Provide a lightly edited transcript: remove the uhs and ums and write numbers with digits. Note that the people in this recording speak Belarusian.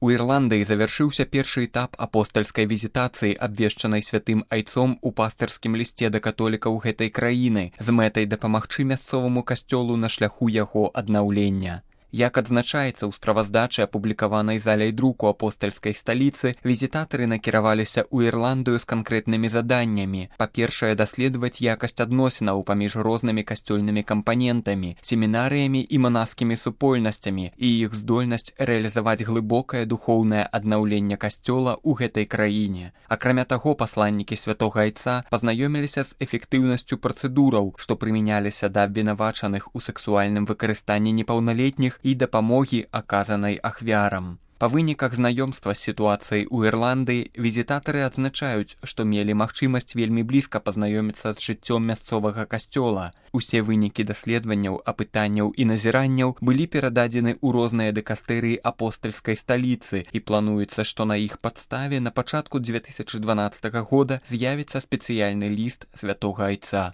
У Ірландыі завяршыўся першы этап апостальскай візітацыі, абвешчанай святым айцом у пастырскім лісце да католікаў гэтай краіны з мэтай дапамагчы мясцоваму касцёлу на шляху яго аднаўлення. Як адзначаецца ў справаздачы, апублікаванай заляй друку апостальскай сталіцы, візітатары накіраваліся ў Ірландыю з канкрэтнымі заданнямі. Па-першае, даследаваць якасць адносінаў паміж рознымі касцёльнымі кампанентамі, семінарыямі і манаскімі супольнасцямі і іх здольнасць рэалізаваць глыбокае духоўнае аднаўленне касцёла ў гэтай краіне. Акрамя таго, пасланнікі святога айца пазнаёміліся з эфектыўнасцю працэдураў, што прымяняліся да абвінавачаных у сексуальным выкарыстанні непаўналетніх і дапамогі, аказанай ахвярам. Па выніках знаёмства з сітуацыяй у Ірландыі візітатары адзначаюць, што мелі магчымасць вельмі блізка пазнаёміцца з жыццём мясцовага касцёла. Усе вынікі даследаванняў, апытанняў і назіранняў былі перададзены ў розныя дыкастэрыі апостальскай сталіцы, і плануецца, што на іх падставе на пачатку 2012 года з'явіцца спецыяльны ліст святога айца.